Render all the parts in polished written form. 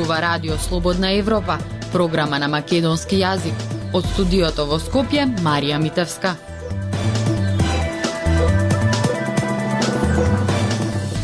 зборува Радио Слободна Европа, програма на македонски јазик. Од студиото во Скопје, Марија Митевска.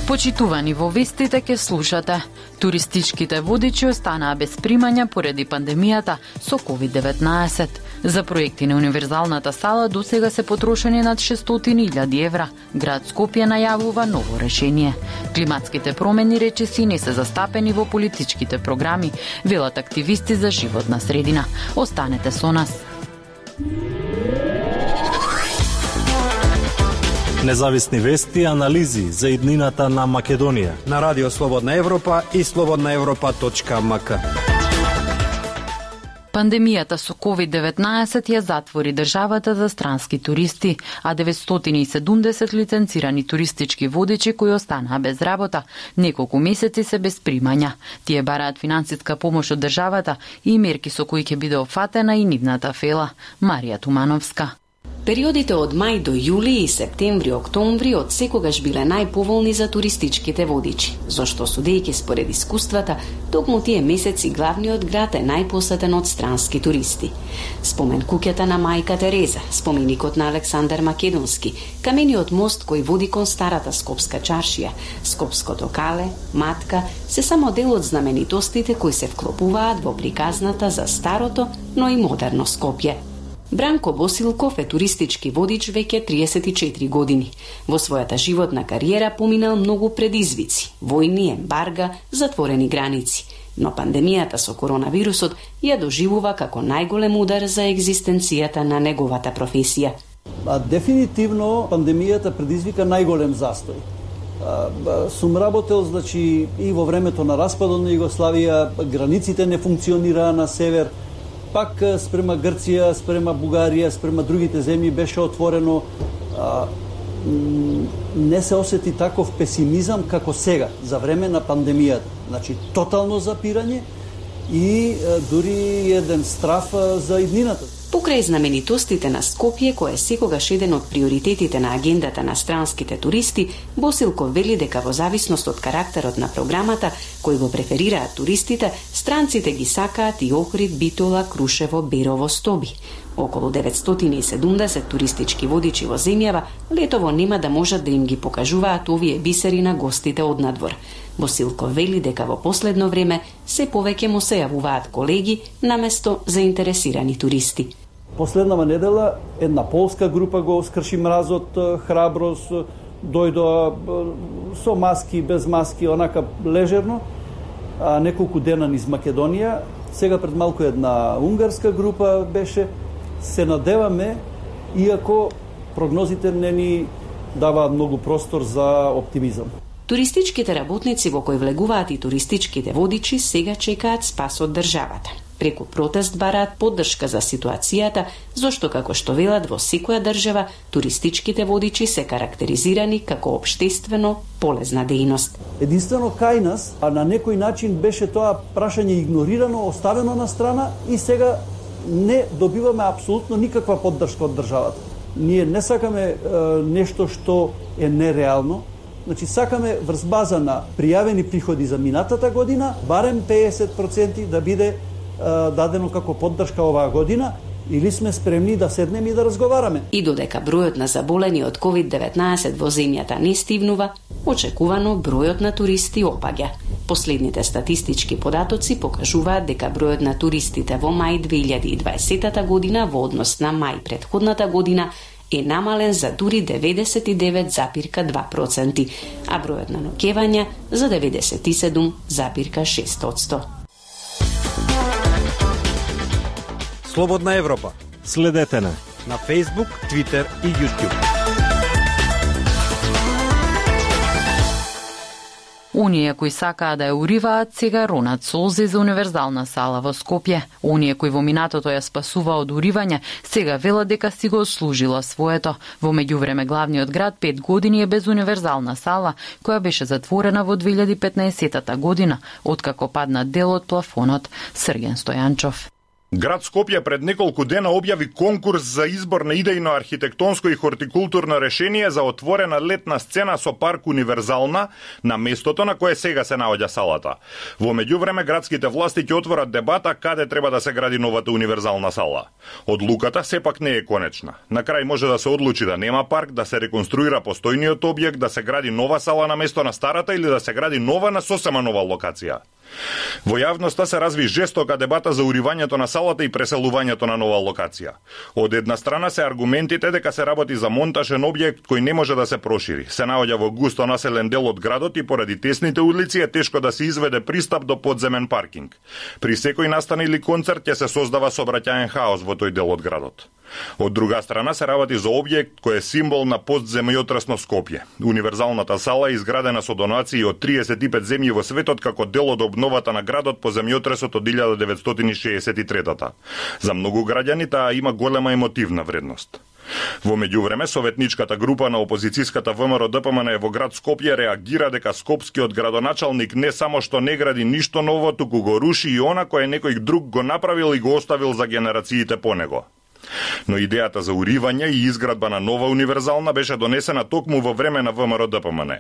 Почитувани, во вестите ке слушате. Туристичките водичи останаа без примања поради пандемијата со COVID-19. За проекти на универзалната сала досега се потрошени над 600.000 евра. Град Скопје најавува ново решение. Климатските промени речиси не се застапени во политичките програми, велат активисти за животна средина. Останете со нас. Независни вести и анализи за иднината на Македонија на Радио Слободна Европа и slobodnaevropa.mk. Пандемијата со COVID-19 ја затвори државата за странски туристи, а 970 лиценцирани туристички водичи кои останаа без работа, неколку месеци се без примања. Тие бараат финансиска помош од државата и мерки со кои ќе биде опфатена и нивната фела. Марија Тумановска. Периодите од мај до јули и септември-октомври од секогаш биле најповолни за туристичките водичи, зашто судејќи според искуствата, токму тие месеци главниот град е најпосетен од странски туристи. Спомен куќата на мајка Тереза, споменикот на Александар Македонски, камениот мост кој води кон старата скопска чаршија, скопското кале, матка, се само дел од знаменитостите кои се вклопуваат во приказната за старото, но и модерно Скопје. Бранко Босилков е туристички водич веќе 34 години. Во својата животна кариера поминал многу предизвици, војни, ембарга, затворени граници. Но пандемијата со коронавирусот ја доживува како најголем удар за екзистенцијата на неговата професија. Дефинитивно пандемијата предизвика најголем застој. Сум работел, значи, и во времето на распадот на Југославија, границите не функционираа на север, пак спрема Грција, спрема Бугарија, спрема другите земји беше отворено. Не се осети таков песимизам како сега, за време на пандемијата. Значи, тотално запирање и дури еден страф за иднината. Покрај знаменитостите на Скопје, кој е секогаш еден од приоритетите на агендата на странските туристи, Босилков вели дека во зависност од карактерот на програмата, кој го преферираат туристите, странците ги сакаат и Охрид, Битола, Крушево, Берово, Стоби. Околу 970 туристички водичи во земјава летово нема да можат да им ги покажуваат овие бисери на гостите од надвор. Босилков вели дека во последно време се повеќе му се јавуваат колеги наместо заинтересирани туристи. Последнава недела една полска група го скрши мразот, храброст, дојдоа со маски, без маски, онака лежерно, неколку дена низ Македонија. Сега пред малку една унгарска група беше. Се надеваме, иако прогнозите не ни даваат многу простор за оптимизам. Туристичките работници во кои влегуваат и туристичките водичи сега чекаат спас од државата. Преку протест бараат поддршка за ситуацијата, зашто како што велат во секоја држава, туристичките водичи се карактеризирани како општествено полезна дејност. Единствено кај нас, а на некој начин беше тоа прашање игнорирано, оставено на страна и сега не добиваме апсолутно никаква поддршка од државата. Ние не сакаме нешто што е нереално. Значи, сакаме врз база на пријавени приходи за минатата година, барем 50% да биде дадено како поддршка оваа година, или сме спремни да седнеме и да разговараме. И додека бројот на заболени од COVID-19 во земјата не стивнува, очекувано бројот на туристи опаѓа. Последните статистички податоци покажуваат дека бројот на туристите во мај 2020 година во однос на мај претходната година е намален за дури 99,2%, а бројот на ноќевања за 97,6%. Слободна Европа. Следете на Facebook, Twitter и YouTube. Оние кои сакаа да ја уриваат, сега ронат солзи за универзална сала во Скопје. Оние кои во минатото ја спасува од уривање, сега велат дека си го служила своето. Во меѓувреме главниот град 5 години е без универзална сала, која беше затворена во 2015 година, откако падна дел од плафонот. Срген Стојанчов. Град Скопје пред неколку дена објави конкурс за избор на идејно архитектонско и хортикултурно решение за отворена летна сцена со парк Универзална на местото на кое сега се наоѓа салата. Во меѓувреме градските власти ќе отворат дебата каде треба да се гради новата Универзална сала. Одлуката сепак не е конечна. На крај може да се одлучи да нема парк, да се реконструира постојниот објект, да се гради нова сала на место на старата или да се гради нова на сосема нова локација. Во јавноста се разви жестока дебата за уривањето на салата и преселувањето на нова локација. Од една страна се аргументите дека се работи за монтажен објект кој не може да се прошири. Се наоѓа во густо населен дел од градот и поради тесните улици е тешко да се изведе пристап до подземен паркинг. При секој настан или концерт ќе се создава сообраќаен хаос во тој дел од градот. Од друга страна се работи за објект кој е символ на постземјотресно Скопје. Универзалната сала е изградена со донации од 35 земји во светот како дел од обновата на градот по земјотресот од 1963-та. За многу граѓани таа има голема емотивна вредност. Во меѓувреме, советничката група на опозицијската ВМРО-ДПМН во град Скопје реагира дека скопскиот градоначалник не само што не гради ништо ново, туку го руши и она кое некој друг го направил и го оставил за генерациите по него. Но идејата за уривање и изградба на нова Универзална беше донесена токму во време на ВМРО-ДПМН.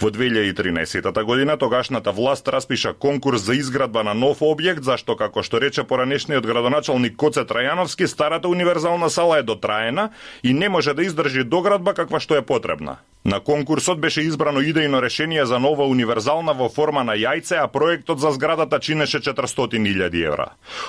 Во 2013 година тогашната власт распиша конкурс за изградба на нов објект, зашто, како што рече поранешниот градоначалник Коце Трајановски, старата Универзална сала е дотраена и не може да издржи доградба каква што е потребна. На конкурсот беше избрано идејно решение за нова Универзална во форма на јајце, а проектот за зградата чинеше 400.000 евра.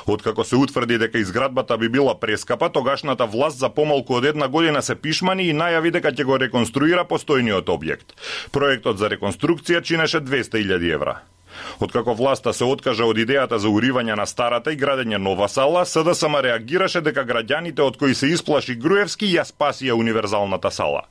Откако се утврди дека изградбата би била прескапа, тогашната власт за помалку од една година се пишмани и најави дека ќе го реконструира постојниот објект. Проектот за реконструкција чинеше 200.000 евра. Откако власта се откажа од идејата за уривање на старата и градење нова сала, СДСМ реагираше дека граѓаните од кои се исплаши Груевски ја спасија Универзалната сала.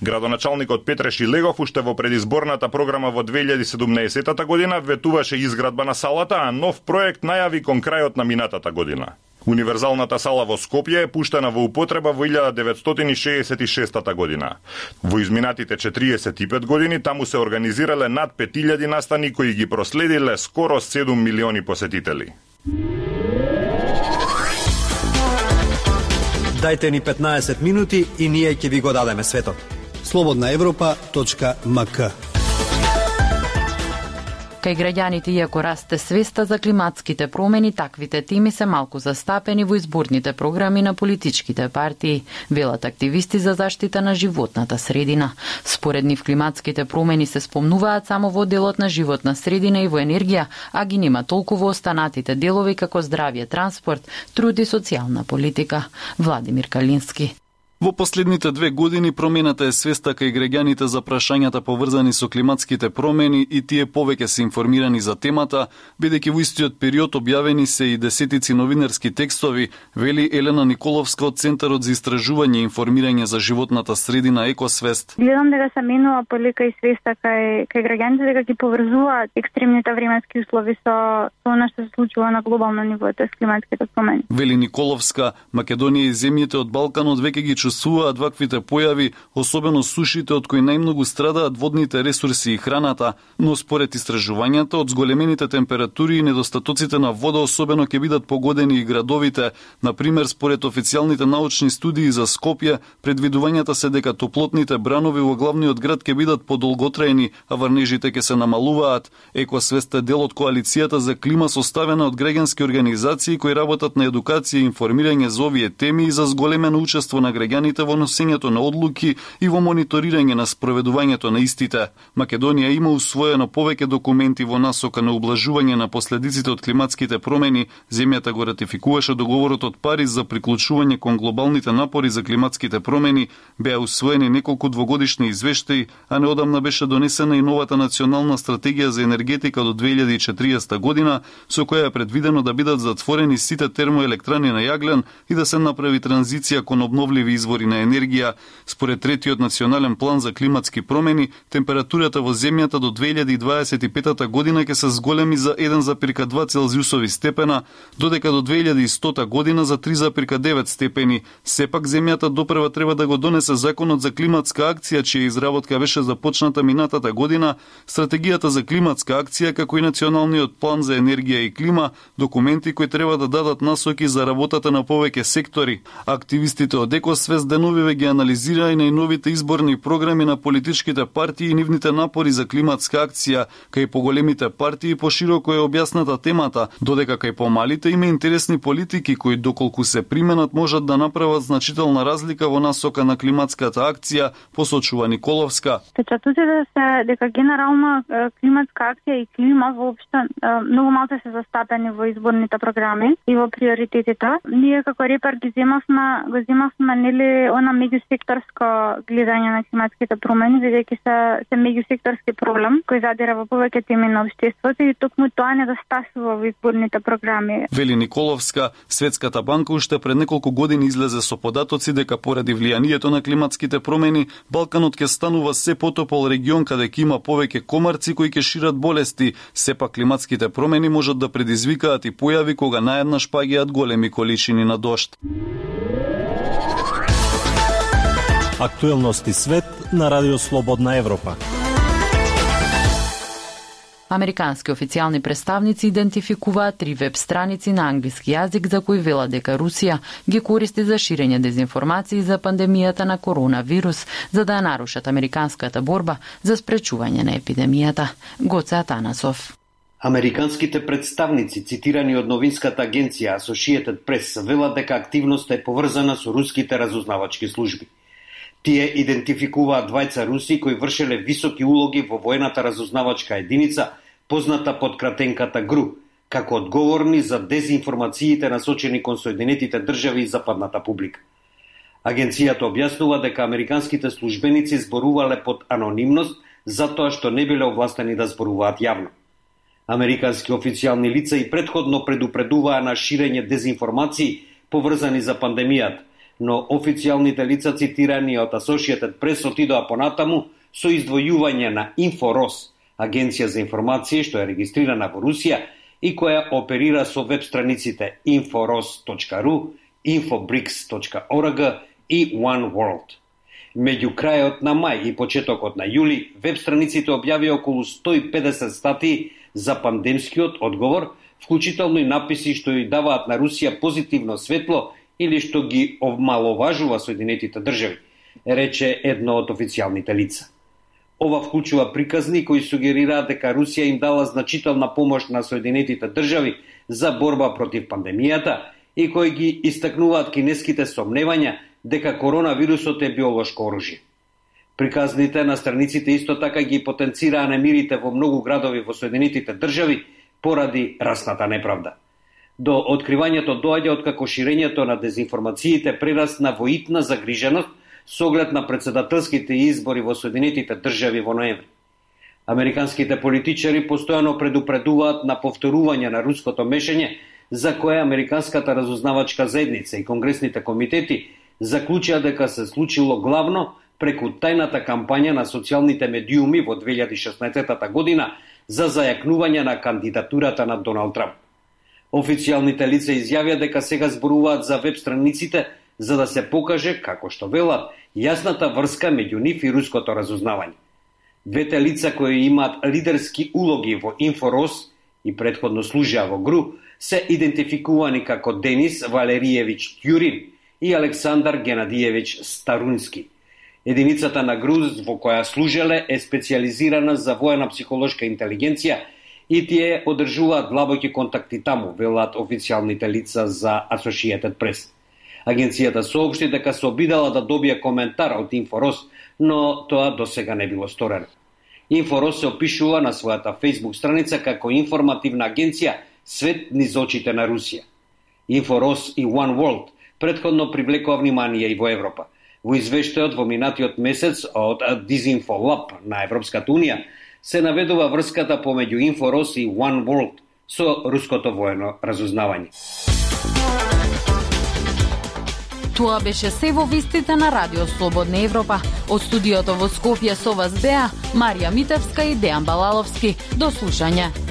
Градоначалникот Петре Шилегов уште во предизборната програма во 2017 година ветуваше изградба на салата, а нов проект најави кон крајот на минатата година. Универзалната сала во Скопје е пуштена во употреба во 1966 година. Во изминатите 45 години таму се организирале над 5000 настани кои ги проследиле скоро 7 милиони посетители. Дајте ни 15 минути и ние ќе ви го дадеме светот. slobodnaevropa.mk. Кај граѓаните, иако расте свеста за климатските промени, таквите теми се малку застапени во изборните програми на политичките партии, велат активисти за заштита на животната средина. Според нив климатските промени се спомнуваат само во делот на животна средина и во енергија, а ги нема толку во останатите делови како здравје, транспорт, труд и социјална политика. Владимир Калински. Во последните 2 години промената е свеста кај граѓаните за прашањата поврзани со климатските промени и тие повеќе се информирани за темата, бидејќи во истиот период објавени се и десетици новинарски текстови, вели Елена Николовска од Центарот за истражување и информирање за животната средина Екосвест. Гледам дека се менува полека и свеста кај граѓаните дека ги поврзуваат екстремните временски услови со она што се случува на глобално ниво со климатските промени. Вели Николовска, Македонија и земјите од Балканот веќе ги чувствуваат ваквите појави, особено сушите од кои најмногу страдаат водните ресурси и храната, но според истражувањата од зголемените температури и недостатоците на вода особено ќе бидат погодени и градовите. Например, според официјалните научни студии за Скопје, предвидувањата се дека топлотните бранови во главниот град ќе бидат подолготраени, а врнежите ќе се намалуваат. Екосвест е дел од коалицијата за клима составена од граѓански организации кои работат на едукација и информирање за овие теми и за зголемено учество на граѓаните во носењето на одлуки и во мониторирање на спроведувањето на истите. Македонија има усвоено повеќе документи во насока на ублажување на последиците од климатските промени. Земјата го ратификуваше договорот од Париз за приклучување кон глобалните напори за климатските промени, беа усвоени неколку двогодишни извештаи, а неодамна беше донесена и новата национална стратегија за енергетика до 2040 година, со која е предвидено да бидат затворени сите термоелектрани на јаглен и да се направи транзиција кон обновливи извори на енергија. Според третиот национален план за климатски промени, температурата во земјата до 2025 година ќе се зголеми за 1,2 целзиусови степена, додека до 2100 година за 3,9 степени. Сепак земјата допрва треба да го донесе законот за климатска акција, чија изработка беше започната минатата година, стратегијата за климатска акција како и националниот план за енергија и клима, документи кои треба да дадат насоки за работата на повеќе сектори. Активистите од Екосвест деновиве ги анализираа и најновите изборни програми на политичките партии и нивните напори за климатска акција, кај поголемите партии пошироко е објасната темата, додека кај помалите има интересни политики кои доколку се применат можат да направат значителна разлика во насока на климатската акција, посочува Николовска. Впечатувате се дека генерално климатска акција и клима воопшто многу малку се застапени во изборните програми и во приоритетите. Ние како репер го земавме нели она меѓусекторско гледање на климатските промени, бидејќи се меѓусекторски проблем кој задира во повеќе теми на општеството и токму тоа недостасува во изборните програми. Вели Николовска, Светската банка уште пред неколку години излезе со податоци дека поради влијанието на климатските промени, Балканот ќе станува се потопол регион каде ќе има повеќе комарци кои ќе шират болести. Сепак климатските промени можат да предизвикаат и појави кога наеднаш паѓаат големи количини на дожд. Актуелности свет на Радио Слободна Европа. Американски официјални представници идентификуваат 3 веб страници на англиски јазик за кои велат дека Русија ги користи за ширење дезинформации за пандемијата на коронавирус, за да ја нарушат американската борба за спречување на епидемијата. Гоце Атанасов. Американските представници, цитирани од новинската агенција Associated Press, велат дека активноста е поврзана со руските разузнавачки служби. Тие идентификуваат двајца руси кои вршеле високи улоги во воената разузнавачка единица, позната под кратенката ГРУ, како одговорни за дезинформациите насочени кон Соединетите држави и западната публика. Агенцијата објаснува дека американските службеници зборувале под анонимност затоа што не биле овластени да зборуваат јавно. Американски официјални лица и претходно предупредуваа на ширење дезинформации поврзани за пандемијата, но официјалните лица цитирани од Associated Press отидоа понатаму со издвојување на Инфорос, агенција за информации што е регистрирана во Русија и која оперира со веб страниците inforos.ru, infobricks.org и One World. Меѓу крајот на мај и почетокот на јули, веб страниците објавија околу 150 статии за пандемскиот одговор, вклучително и написи што ја даваат на Русија позитивно светло или што ги омаловажува Соединетите држави, рече едно од официјалните лица. Ова вклучува приказни кои сугерираат дека Русија им дала значителна помош на Соединетите држави за борба против пандемијата и кои ги истакнуваат кинеските сомневања дека коронавирусот е биолошко оружје. Приказните на страниците исто така ги потенцираа немирите во многу градови во Соединетите држави поради расната неправда. До откривањето доаѓа откако ширењето на дезинформациите прерасна во итна загриженост со оглед на претседателските избори во Соединетите држави во ноември. Американските политичари постојано предупредуваат на повторување на руското мешање, за кое американската разузнавачка заедница и конгресните комитети заклучија дека се случило главно преку тајната кампања на социјалните медиуми во 2016 година за зајакнување на кандидатурата на Доналд Трамп. Официјалните лица изјавија дека сега зборуваат за веб страниците за да се покаже, како што велат, јасната врска меѓу нив и руското разузнавање. Двете лица кои имаат лидерски улоги во Инфорос и претходно служеа во ГРУ се идентификувани како Денис Валериевич Тјурин и Александар Генадиевич Старунски. Единицата на ГРУ во која служеле е специјализирана за воена психолошка интелигенција и тие одржуваат длабоки контакти таму, велат официјалните лица за Associated Press. Агенцијата соопшти дека се обидала да добие коментар од Инфорос, но тоа досега не било сторено. Инфорос се опишува на својата Facebook страница како информативна агенција свет низ очите на Русија. Инфорос и One World претходно привлекува внимание и во Европа. Во извештајот во минатиот месец од Disinfolab на Европската Унија се наведува врската помеѓу Инфорос и One World со руското воено разузнавање. Тоа беше се во вестите на Радио Слободна Европа. Од студиото во Скопје со вас беа Марија Митевска и Дејан Балаловски. До слушање.